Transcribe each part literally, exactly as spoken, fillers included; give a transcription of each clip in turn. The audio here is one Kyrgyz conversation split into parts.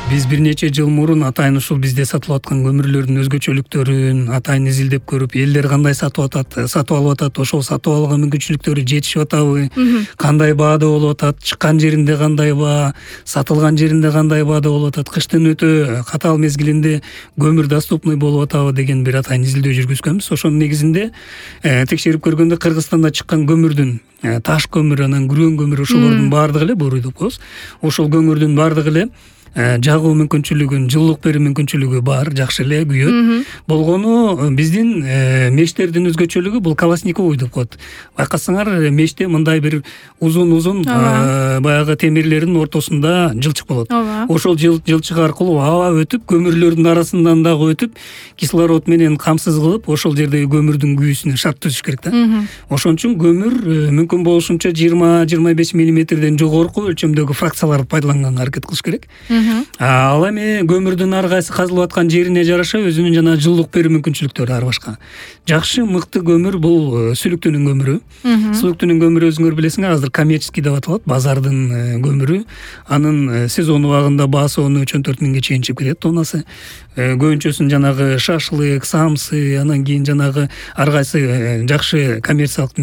Биз бир нече жыл мурун атайын ушул бизде сатылып аткан көмүрлөрдүн өзгөчөлүктөрүн атайын изилдеп көрүп, элдер кандай сатып атат, сатып алып атат, ошол сатып алууга мүмкүнчүлүктөрү жетишип атабы, кандай баада болуп атат, чыккан жеринде кандай баа, сатылган жеринде кандай баада болуп атат, кыштын өтө катаал мезгилинде көмүр доступный болуп атабы деген бир атайын изилдөө жүргүзгөнбүз. Ошонун негизинде текшерип көргөндө Кыргызстанда чыккан көмүрдүн таш көмүр, анан күрөң көмүр, ошолордун баардыгы эле буруу деп коебуз. Ошол көмүрдүн баардыгы эле жагуу мүмкүнчүлүгүн, жылуулук берүү мүмкүнчүлүгү бар, жакшы эле күйөт. Болгону биздин мештердин өзгөчөлүгү бул колосниковый деп коет. Байкасаңар, меште мындай бир узун-узун баягы темирлердин ортосунда жылчык болот. Ошол жылчык аркылуу аба өтүп, көмүрлөрдүн арасынан дагы өтүп, кислород менен камсыз кылып, ошол жердеги көмүрдүн күйүүсүнө шарт түзүш керек да. Ошон үчүн көмүр мүмкүн болушунча жыйырма жыйырма беш миллиметрден жогорку өлчөмдөгү фракцияларды пайдаланганга аракет кылыш керек. Ал эми көмүрдүн ар кайсы казылып аткан жерине жараша өзүнүн жана жылуулук берүү мүмкүнчүлүктөрү ар башка. Жакшы, мыкты көмүр бул сүлүктүнүн көмүрү. Сүлүктүнүн көмүрү өзүңөр билесиңер, азыр коммерческий деп аталат, базардын көмүрү. Анын сезон убагында баасы он үч он төрт миңге чейин чыгып кетет тоннасы. Көбүнчөсүн жанагы шашлык, самсы, анан кийин жанагы ар кайсы жакшы коммерциялык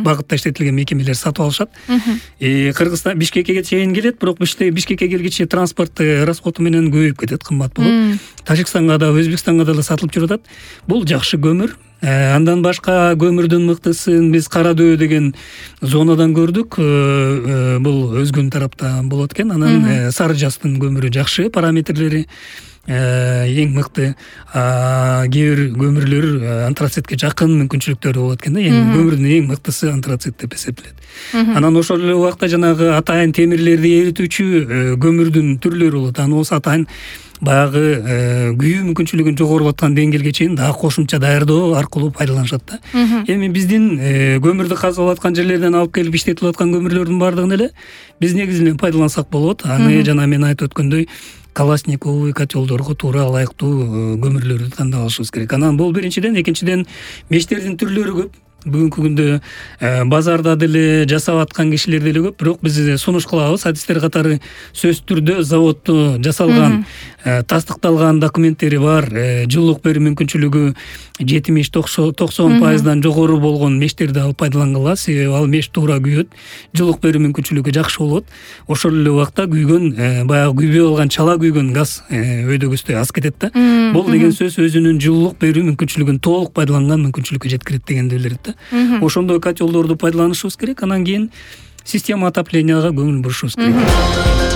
багытта иштетилген мекемелер сатып алышат. Кыргызстан Бишкекке чейин келет, бирок Бишкекке келгиче транспорт расходу менен көбөйүп кетет, кымбат болот. Тажикстанга да, Өзбекстанга да сатылып жүрүп атат. Бул жакшы көмүр. Андан башка көмүрдүн мыктысын биз Кара Дөбө деген зонадан көрдүк. Бул Өзгөн тарапта болот экен. Анан Сары Жаздын көмүрү жакшы, параметрлери эң мыкты. Кээ бир көмүрлөр антрацитке жакын мүмкүнчүлүктөрү болот экен да. Эми көмүрдүн эң мыктысы антрацит деп эсептелет. Анан ошол эле убакта жанагы атайын темирлерди эритүүчү көмүрдүн түрлөрү болот. Анан осы атайын баягы күйүү мүмкүнчүлүгүн жогорулаткан деңгээлге чейин дагы кошумча даярдоо аркылуу пайдаланышат да. Эми биздин көмүрдү казылып аткан жерлерден алып келип иштетилип аткан көмүрлөрдүн баардыгын эле биз негизинен пайдалансак болот. Аны жана мен айтып өткөндөй колосниковый котелдорго туура ылайыктуу көмүрлөрдү тандап алышыбыз керек. Анан бул биринчиден, экинчиден мештердин түрлөрү көп. Бүгүнкү күндө базарда деле жасап аткан кишилер деле көп, бирок биз сунуш кылабыз. Адистер катары сөзсүз түрдө заводдо жасалган, тастыкталган документтери бар, жылуулук берүү мүмкүнчүлүгү жетимиш токсон пайыздан жогору болгон мештерди алып пайдалангыла, себеби ал меш туура күйөт, жылуулук берүү мүмкүнчүлүгү жакшы болот. Ошол эле убакта күйгөн, баягы күйбөй калган чала күйгөн газ өйдөгүстө аз кетет да. Бул деген сөз өзүнүн жылуулук берүү мүмкүнчүлүгүн толук пайдаланган мүмкүнчүлүккө жеткирет дегенди билдирет да. Ошондой котелдорду пайдаланышыбыз керек. Анан кийин система отопленияга көңүл бурушубуз керек.